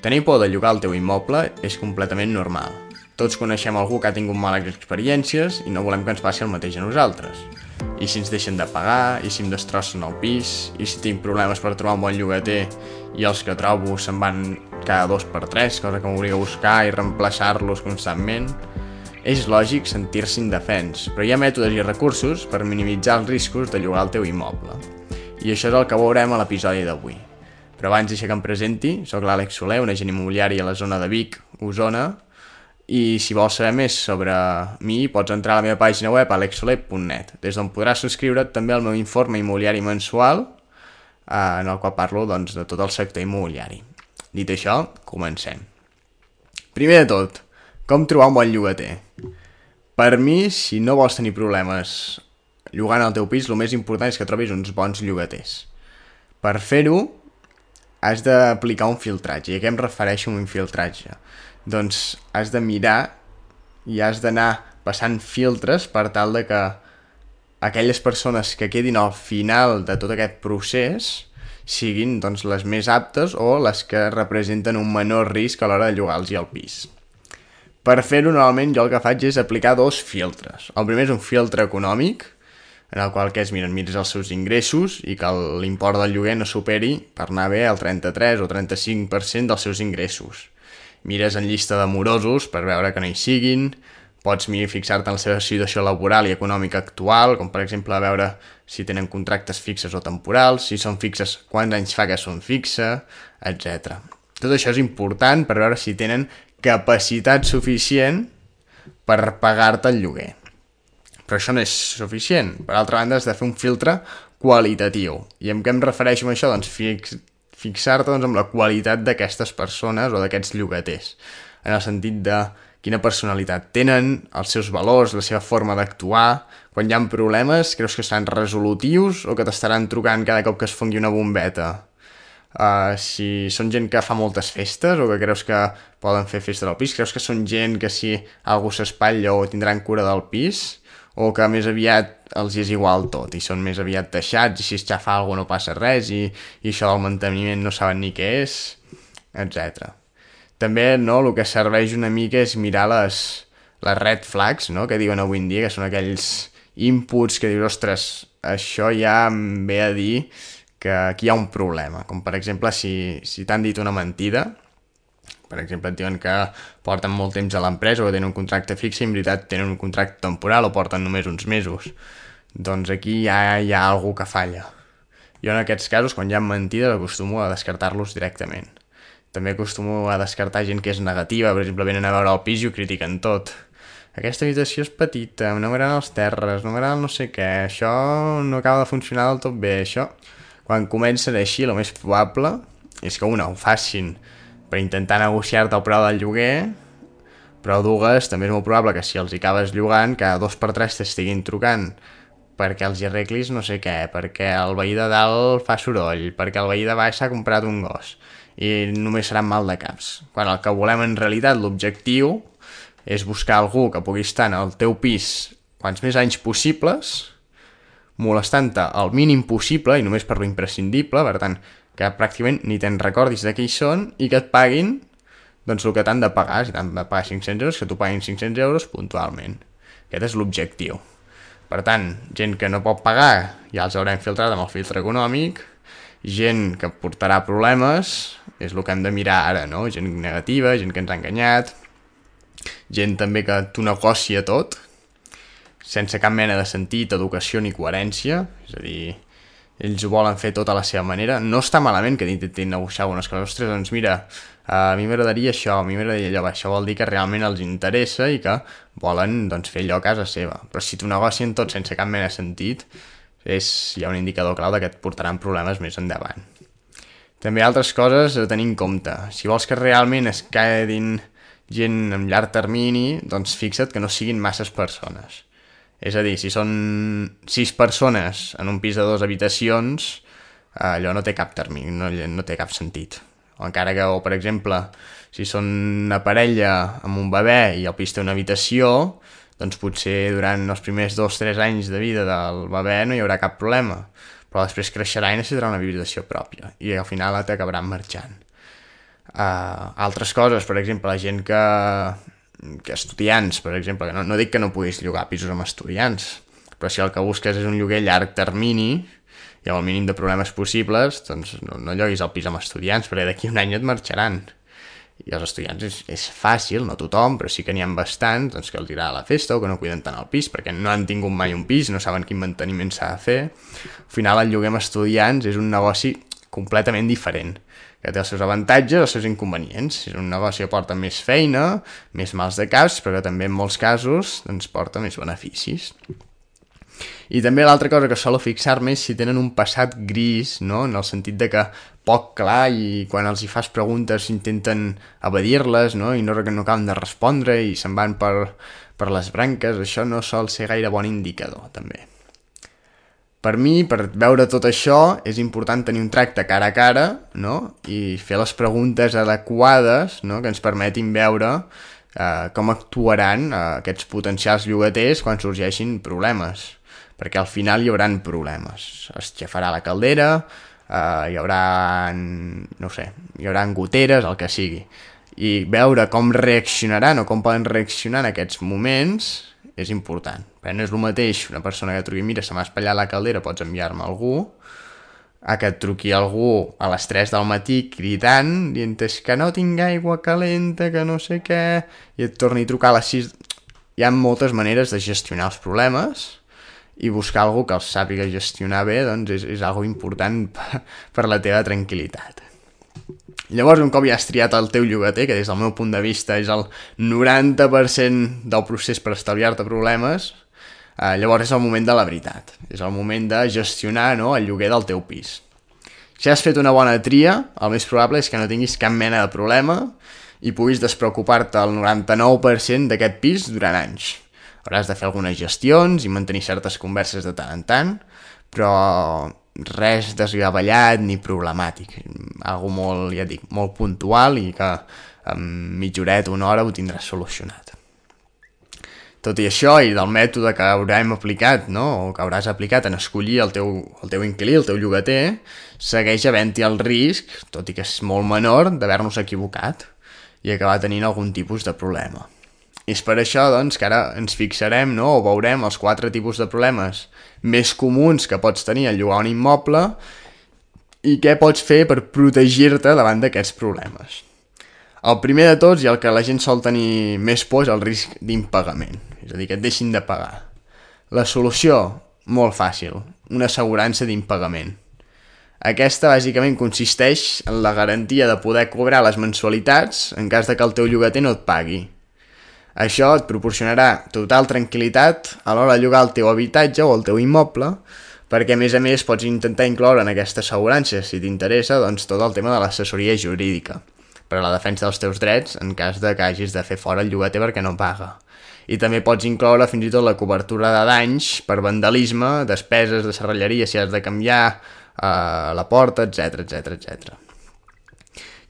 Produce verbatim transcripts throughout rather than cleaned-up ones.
Tenir por de llogar el teu immoble és completament normal. Tots coneixem algú que ha tingut males experiències i no volem que ens passi el mateix a nosaltres. I si ens deixen de pagar, i si em destrossen el pis, i si tinc problemes per trobar un bon llogater i els que trobo se'n van cada dos per tres, cosa que m'obliga a buscar i reemplaçar-los constantment. És lògic sentir-se indefens, però hi ha mètodes i recursos per minimitzar els riscos de llogar el teu immoble. I això és el que veurem a l'episodi d'avui. Però abans deixa que em presenti, soc l'Àlex Soler, un agent immobiliari a la zona de Vic, Osona, i si vols saber més sobre mi pots entrar a la meva pàgina web alex soler punt net, des d'on podràs subscriure't també al meu informe immobiliari mensual, eh, en el qual parlo doncs, de tot el sector immobiliari. Dit això, comencem. Primer de tot, com trobar un bon llogater? Per mi, si no vols tenir problemes llogant el teu pis, el més important és que trobis uns bons llogaters. Per fer-ho, has d'aplicar un filtratge. I a què em refereixo amb un filtratge? Doncs has de mirar i has d'anar passant filtres per tal de que aquelles persones que quedin al final de tot aquest procés siguin doncs, les més aptes o les que representen un menor risc a l'hora de llogar-los el pis. Per fer-ho, normalment jo el que faig és aplicar dos filtres. El primer és un filtre econòmic, en el qual que és, mira, mires els seus ingressos i que l'import del lloguer no superi, per anar bé, el trenta-tres o trenta-cinc per cent dels seus ingressos. Mires en llista de morosos per veure que no hi siguin, pots fixar-te en la seva situació laboral i econòmica actual, com per exemple veure si tenen contractes fixes o temporals, si són fixes, quants anys fa que són fixa, etcètera. Tot això és important per veure si tenen capacitat suficient per pagar-te el lloguer. Però això no és suficient. Per altra banda, has de fer un filtre qualitatiu. I amb què em refereixo amb això? Doncs fix, fixar-te doncs, amb la qualitat d'aquestes persones o d'aquests llogaters. En el sentit de quina personalitat tenen, els seus valors, la seva forma d'actuar. Quan hi ha problemes, creus que seran resolutius o que t'estaran trucant cada cop que es fongui una bombeta? Uh, si són gent que fa moltes festes o que creus que poden fer festes al pis, creus que són gent que si algú s'espatlla o tindran cura del pis, o que més aviat els és igual tot i són més aviat deixats i si es xafa alguna no passa res i, i això del manteniment no saben ni què és, etcètera. També no, el que serveix una mica és mirar les, les red flags, no? Que diuen avui en dia, que són aquells inputs que dius, ostres, això ja em ve a dir que aquí hi ha un problema, com per exemple si, si t'han dit una mentida. Per exemple, et diuen que porten molt temps a l'empresa o tenen un contracte fix i en veritat tenen un contracte temporal o porten només uns mesos. Doncs aquí ja hi ha algú que falla. Jo en aquests casos, quan hi ha mentides, acostumo a descartar-los directament. També acostumo a descartar gent que és negativa, per exemple, venen a veure el pis i ho critiquen tot. Aquesta habitació és petita, no m'agraden els terres, no m'agrada no sé què, això no acaba de funcionar del tot bé, això. Quan comencen així, el més probable és que una ho facin per intentar negociar-te el preu del lloguer, però dues, també és molt probable que si els hi acabes llogant, cada dos per tres t'estiguin trucant perquè els hi arreglis no sé què, perquè el veí de dalt fa soroll, perquè el veí de baix s'ha comprat un gos, i només seran mal de caps. Quan el que volem en realitat, l'objectiu, és buscar algú que pugui estar en el teu pis quants més anys possibles, molestant-te el mínim possible i només per lo imprescindible, per tant, que pràcticament ni te'n recordis de qui són i que et paguin doncs el que t'han de pagar. Si t'han de pagar cinc-cents euros, que t'ho paguin cinc-cents euros puntualment. Aquest és l'objectiu. Per tant, gent que no pot pagar ja els haurem filtrat amb el filtre econòmic, gent que portarà problemes, és el que hem de mirar ara, no? Gent negativa, gent que ens ha enganyat, gent també que t'ho negocia tot, sense cap mena de sentit, educació ni coherència, és a dir, ells ho volen fer tot a la seva manera. No està malament que intentin negociar algunes coses. Ostres, doncs mira, a mi m'agradaria això, a mi m'agradaria allò. Això vol dir que realment els interessa i que volen doncs, fer allò a casa seva. Però si t'ho negocien tot sense cap mena de sentit, és, hi ha un indicador clau de que et portaran problemes més endavant. També altres coses a tenir en compte. Si vols que realment es quedin gent en llarg termini, doncs fixa't que no siguin masses persones. És a dir, si són sis persones en un pis de dues habitacions, allò no té cap termini, no, no té cap sentit. O encara que, o per exemple, si són una parella amb un bebè i el pis té una habitació, doncs potser durant els primers dos o tres anys de vida del bebè no hi haurà cap problema. Però després creixerà i necessitarà una habitació pròpia i al final t'acabaran marxant. Uh, altres coses, per exemple, la gent que, que estudiants, per exemple, que no, no dic que no puguis llogar pisos amb estudiants, però si el que busques és un lloguer a llarg termini i amb el mínim de problemes possibles, doncs no, no lloguis el pis amb estudiants, perquè d'aquí un any et marxaran. I els estudiants és, és fàcil, no tothom, però sí que n'hi ha bastants doncs, que els dirà a la festa o que no cuiden tant el pis perquè no han tingut mai un pis, no saben quin manteniment s'ha de fer. Al final el lloguer amb estudiants és un negoci completament diferent, que té els seus avantatges, els seus inconvenients. És un negoci que porta més feina, més mals de caps, però que també en molts casos doncs, porta més beneficis. I també l'altra cosa que solo fixar-me és si tenen un passat gris, no? En el sentit de que poc clar i quan els hi fas preguntes intenten evadir-les, no? I no, no acaben de respondre i se'n van per, per les branques. Això no sol ser gaire bon indicador, també. Per mi, per veure tot això, és important tenir un tracte cara a cara, no? I fer les preguntes adequades, no? Que ens permetin veure eh, com actuaran eh, aquests potencials llogaters quan sorgeixin problemes. Perquè al final hi haurà problemes. Es xafarà la caldera, eh, hi haurà, no sé, hi haurà goteres, el que sigui. I veure com reaccionaran o com poden reaccionar en aquests moments és important. Perquè no és el mateix una persona que truqui, mira, se m'ha espatllat la caldera, pots enviar-me algú, a que et truqui algú a les tres del matí cridant, dient que no tinc aigua calenta, que no sé què, i et torni a trucar a les sis... Hi ha moltes maneres de gestionar els problemes i buscar algú que els sàpiga gestionar bé doncs és, és algo important per, per la teva tranquil·litat. Llavors, un cop ja has triat el teu llogater, que des del meu punt de vista és el noranta per cent del procés per estalviar-te problemes, eh, llavors és el moment de la veritat. És el moment de gestionar, no, el lloguer del teu pis. Si has fet una bona tria, el més probable és que no tinguis cap mena de problema i puguis despreocupar-te el noranta-nou per cent d'aquest pis durant anys. Hauràs de fer algunes gestions i mantenir certes converses de tant en tant, però res desgavellat ni problemàtic. Algo molt, ja dic, molt puntual i que en mitja horeta, una hora ho tindràs solucionat. Tot i això, i del mètode que haurem aplicat, no? O que hauràs aplicat en escollir el teu, el teu inquilí, el teu llogater, segueix havent-hi el risc, tot i que és molt menor, d'haver-nos equivocat i acabar tenint algun tipus de problema. I és per això doncs, que ara ens fixarem, no? O veurem els quatre tipus de problemes més comuns que pots tenir al llogar un immoble i què pots fer per protegir-te davant d'aquests problemes. El primer de tots, i el que la gent sol tenir més por, és el risc d'impagament, és a dir, que et deixin de pagar. La solució, molt fàcil, una assegurança d'impagament. Aquesta bàsicament consisteix en la garantia de poder cobrar les mensualitats en cas de que el teu llogater no et pagui. Això et proporcionarà total tranquil·litat a l'hora de llogar el teu habitatge o el teu immoble, perquè a més a més pots intentar incloure en aquesta assegurança, si t'interessa, doncs tot el tema de l'assessoria jurídica, per a la defensa dels teus drets en cas de que hagis de fer fora el llogater perquè no paga. I també pots incloure fins i tot la cobertura de danys per vandalisme, despeses de serralleria si has de canviar eh, la porta, etcètera, etcètera, etcètera.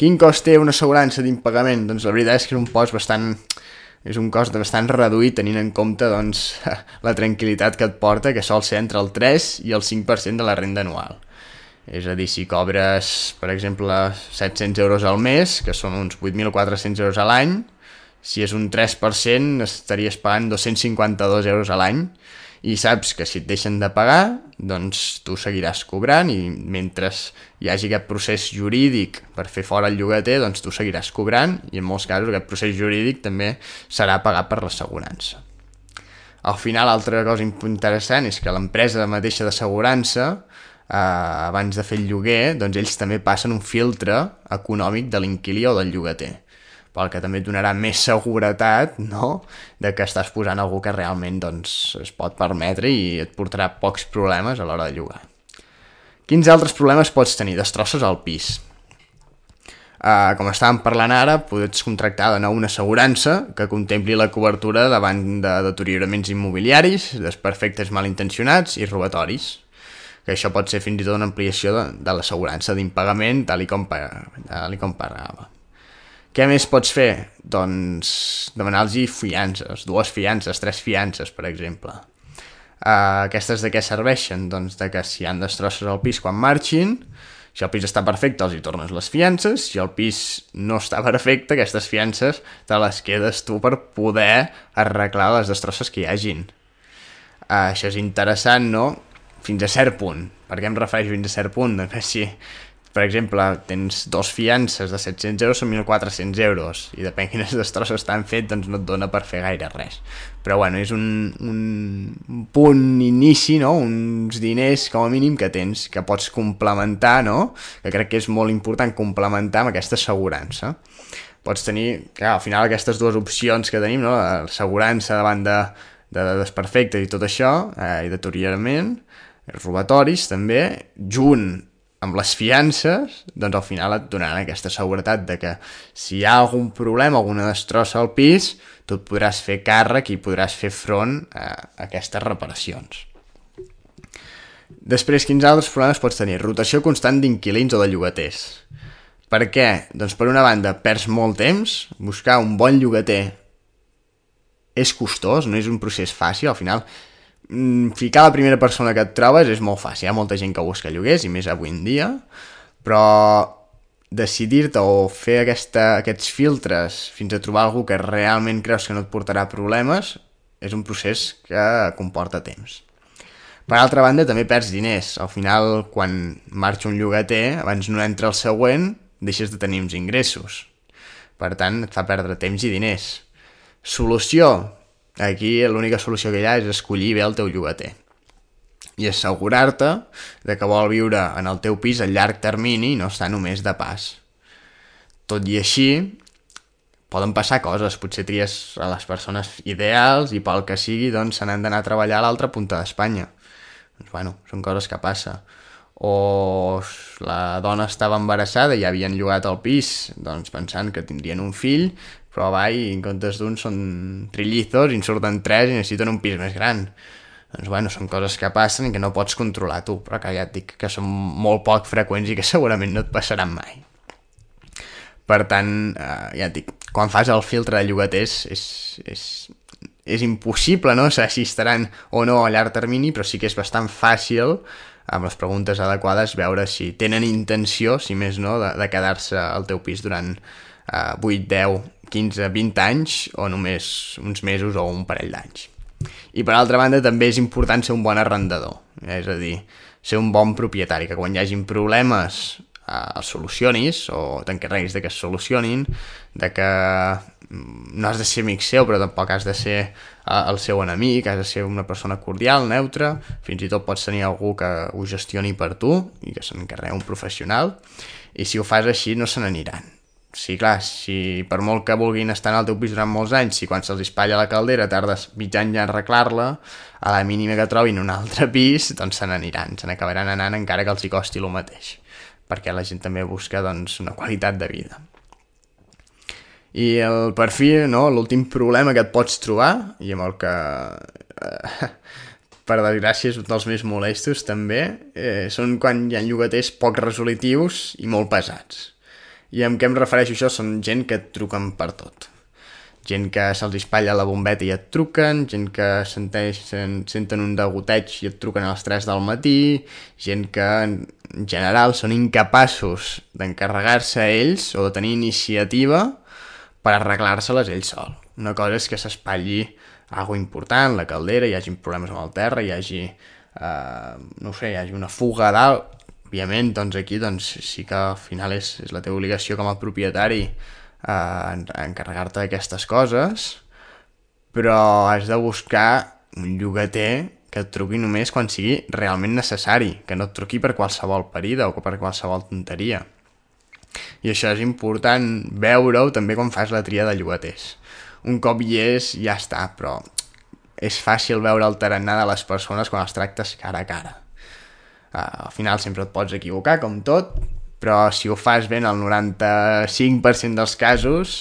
Quin cost té una assegurança d'impagament? Doncs la veritat és que és un cost bastant... és un cost bastant reduït tenint en compte doncs, la tranquil·litat que et porta, que sol ser entre el tres i el cinc per cent de la renda anual. És a dir, si cobres, per exemple, set-cents euros al mes, que són uns vuit mil quatre-cents euros a l'any, si és un tres per cent estaries pagant dos-cents cinquanta-dos euros a l'any, i saps que si et deixen de pagar, doncs tu seguiràs cobrant i mentre hi hagi aquest procés jurídic per fer fora el llogater, doncs tu seguiràs cobrant i en molts casos aquest procés jurídic també serà pagat per l'assegurança. Al final, altra cosa interessant és que l'empresa mateixa d'assegurança, eh, abans de fer el lloguer, doncs ells també passen un filtre econòmic de l'inquilí o del llogater, pel que també et donarà més seguretat, no?, de que estàs posant algú que realment doncs, es pot permetre i et portarà pocs problemes a l'hora de llogar. Quins altres problemes pots tenir? Destrosses al pis. Uh, com estàvem parlant ara, pots contractar de nou una assegurança que contempli la cobertura davant de deterioraments immobiliaris, desperfectes malintencionats i robatoris, que això pot ser fins i tot una ampliació de, de l'assegurança d'impagament tal i com, tal i com pagava. Què més pots fer? Doncs demanar-los fiances, dues fiances, tres fiances, per exemple. Uh, aquestes de què serveixen? Doncs de que si hi ha destrosses al pis quan marxin, Si el pis està perfecte, els hi tornes les fiances. Si el pis no està perfecte, aquestes fiances te les quedes tu per poder arreglar les destrosses que hi hagin. Uh, això és interessant, no? Fins a cert punt. Per què em refereixo fins a cert punt? Doncs si, per exemple, tens dos fiances de set-cents euros, són mil quatre-cents euros, i depèn quines destrosses t'han fet, doncs no et dona per fer gaire res. Però bueno, és un, un punt inici, no? Uns diners com a mínim que tens, que pots complementar, no? Que crec que és molt important complementar amb aquesta assegurança. Pots tenir, clar, al final aquestes dues opcions que tenim, no? L'assegurança davant de, de desperfectes i tot això, eh, i deteriorament, robatoris també, junt amb les fiances, doncs al final et donaran aquesta seguretat de que si hi ha algun problema, alguna destrossa al pis, tu et podràs fer càrrec i podràs fer front a aquestes reparacions. Després, quins altres problemes pots tenir? Rotació constant d'inquilins o de llogaters. Per què? Doncs per una banda, perds molt temps, buscar un bon llogater és costós, no és un procés fàcil, al final ficar la primera persona que et trobes és molt fàcil, hi ha molta gent que busca lloguers i més avui en dia, però decidir-te o fer aquesta, aquests filtres fins a trobar algú que realment creus que no et portarà problemes és un procés que comporta temps. Per altra banda, també perds diners. Al final, quan marxa un llogater, abans no entra el següent, deixes de tenir uns ingressos. Per tant, et fa perdre temps i diners. Solució. Aquí l'única solució que hi ha és escollir bé el teu llogater i assegurar-te de que vol viure en el teu pis a llarg termini i no estar només de pas. Tot i així, poden passar coses, potser tries a les persones ideals i pel que sigui doncs se n'han d'anar a treballar a l'altra punta d'Espanya. Doncs bueno, són coses que passa. O la dona estava embarassada i ja havien llogat el pis doncs pensant que tindrien un fill, però va, i en comptes d'un són trillizos i en surten tres i necessiten un pis més gran. Doncs bueno, són coses que passen i que no pots controlar tu, però que ja et dic que són molt poc freqüents i que segurament no et passaran mai. Per tant, eh, ja et dic, quan fas el filtre de llogaters és, és, és impossible, no?, saber si estaran o no a llarg termini, però sí que és bastant fàcil, amb les preguntes adequades, veure si tenen intenció, si més no, de, de quedar-se al teu pis durant eh, vuit, deu, quinze, vint anys o només uns mesos o un parell d'anys. I per altra banda també és important ser un bon arrendador, és a dir, ser un bon propietari, que quan hi hagin problemes eh, els solucionis o t'encarreguis de que es solucionin, de que no has de ser amic seu però tampoc has de ser eh, el seu enemic, has de ser una persona cordial, neutra, fins i tot pots tenir algú que ho gestioni per tu i que s'encarregui un professional, i si ho fas així no se n'aniran. Sí, clar, si per molt que vulguin estar en el teu pis durant molts anys, si quan se'ls espatlla la caldera tardes mig any a arreglar-la, a la mínima que trobin un altre pis, doncs se n'aniran, se n'acabaran anant encara que els hi costi el mateix, perquè la gent també busca doncs, una qualitat de vida. I el perfil, no, l'últim problema que et pots trobar, i amb el que, eh, per desgràcia, és un dels més molestos també, eh, són quan hi ha llogaters poc resolutius i molt pesats. I amb què em refereixo això? Són gent que et truquen per tot. Gent que se'ls espatlla la bombeta i et truquen, gent que senteixen, senten un degoteig i et truquen a les tres del matí, gent que en general són incapaços d'encarregar-se a ells o de tenir iniciativa per arreglar-se-les ells sol. Una cosa és que s'espatlli alguna important, la caldera, hi hagi problemes amb el terra, hi hagi, eh, no sé, hi hagi una fuga a dalt. Òbviament, doncs aquí doncs, sí que al final és, és la teva obligació com a propietari eh, encarregar-te d'aquestes coses, però has de buscar un llogater que et truqui només quan sigui realment necessari, que no et truqui per qualsevol parida o per qualsevol tonteria. I això és important veure-ho també quan fas la tria de llogaters. Un cop hi és, ja està, però és fàcil veure el tarannà de les persones quan els tractes cara a cara. Uh, al final sempre et pots equivocar, com tot, però si ho fas bé en el noranta-cinc per cent dels casos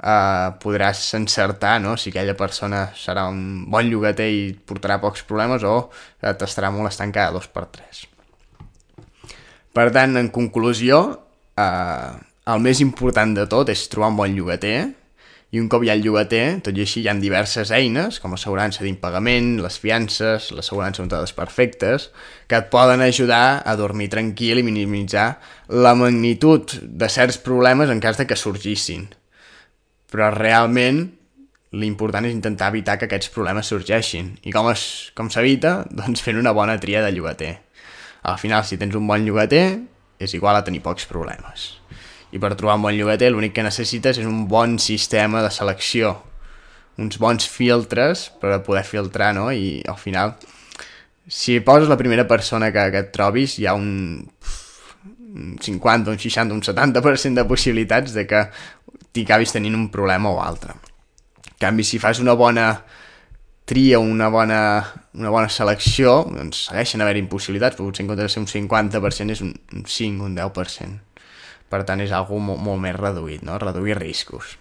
uh, podràs encertar, no?, si aquella persona serà un bon llogater i et portarà pocs problemes o t'estarà molestant cada dos per tres. Per tant, en conclusió, uh, el més important de tot és trobar un bon llogater I un cop hi ha el llogater, tot i així hi ha diverses eines, com l'assegurança d'impagament, les fiances, l'assegurança contra desperfectes, que et poden ajudar a dormir tranquil i minimitzar la magnitud de certs problemes en cas de que sorgissin. Però realment l'important és intentar evitar que aquests problemes sorgeixin. I com, es, com s'evita? Doncs fent una bona tria de llogater. Al final, si tens un bon llogater, és igual a tenir pocs problemes. I per trobar un bon llogater l'únic que necessites és un bon sistema de selecció, uns bons filtres per a poder filtrar, no? I al final, si poses la primera persona que, que et trobis, hi ha un, un cinquanta, un seixanta, un setanta per cent de possibilitats de que t'hi acabis tenint un problema o altre. En canvi, si fas una bona tria, una bona, una bona selecció, doncs segueixen haver impossibilitats, però potser en comptes de ser un cinquanta per cent és un, un cinc, un deu per cent. Per tant, és algo molt, molt més reduït, no? Reduir riscos.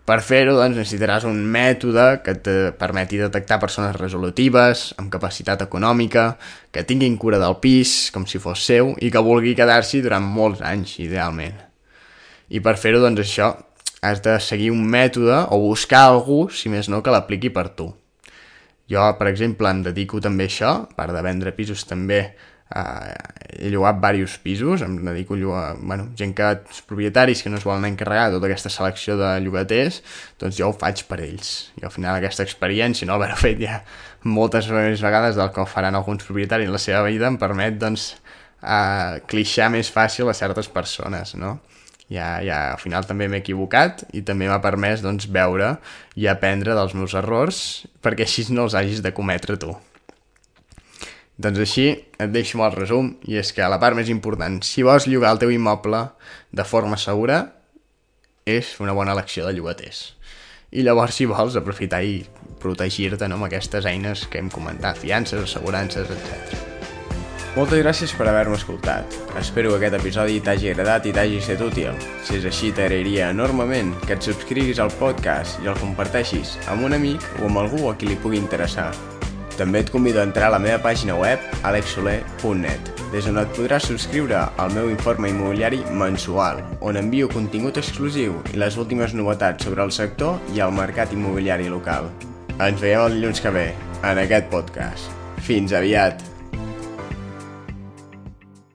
Per fer-ho, doncs, necessitaràs un mètode que et permeti detectar persones resolutives, amb capacitat econòmica, que tinguin cura del pis, com si fos seu, i que vulgui quedar-s'hi durant molts anys, idealment. I per fer-ho, doncs, això, has de seguir un mètode o buscar algú, si més no, que l'apliqui per tu. Jo, per exemple, em dedico també a això, a part de vendre pisos també eh, he llogat diversos pisos, em dedico a llogar, bueno, gent que, propietaris que no es volen encarregar de tota aquesta selecció de llogaters, doncs jo ho faig per ells. I al final aquesta experiència, no haver-ho fet ja moltes vegades del que ho faran alguns propietaris en la seva vida, em permet, doncs, eh, clixar més fàcil a certes persones, no? Ja, ja, al final també m'he equivocat i també m'ha permès, doncs, veure i aprendre dels meus errors perquè així no els hagis de cometre tu. Doncs així et deixo el resum, i és que la part més important, si vols llogar el teu immoble de forma segura, és una bona elecció de llogaters. I llavors, si vols, aprofitar i protegir-te, no, amb aquestes eines que hem comentat, fiances, assegurances, etcètera. Moltes gràcies per haver-me escoltat. Espero que aquest episodi t'hagi agradat i t'hagi estat útil. Si és així, t'agrairia enormement que et subscriguis al podcast i el comparteixis amb un amic o amb algú a qui li pugui interessar. També et convido a entrar a la meva pàgina web alex soler punt net, des on et podràs subscriure al meu informe immobiliari mensual, on envio contingut exclusiu i les últimes novetats sobre el sector i el mercat immobiliari local. Ens veiem el dilluns que ve, en aquest podcast. Fins aviat!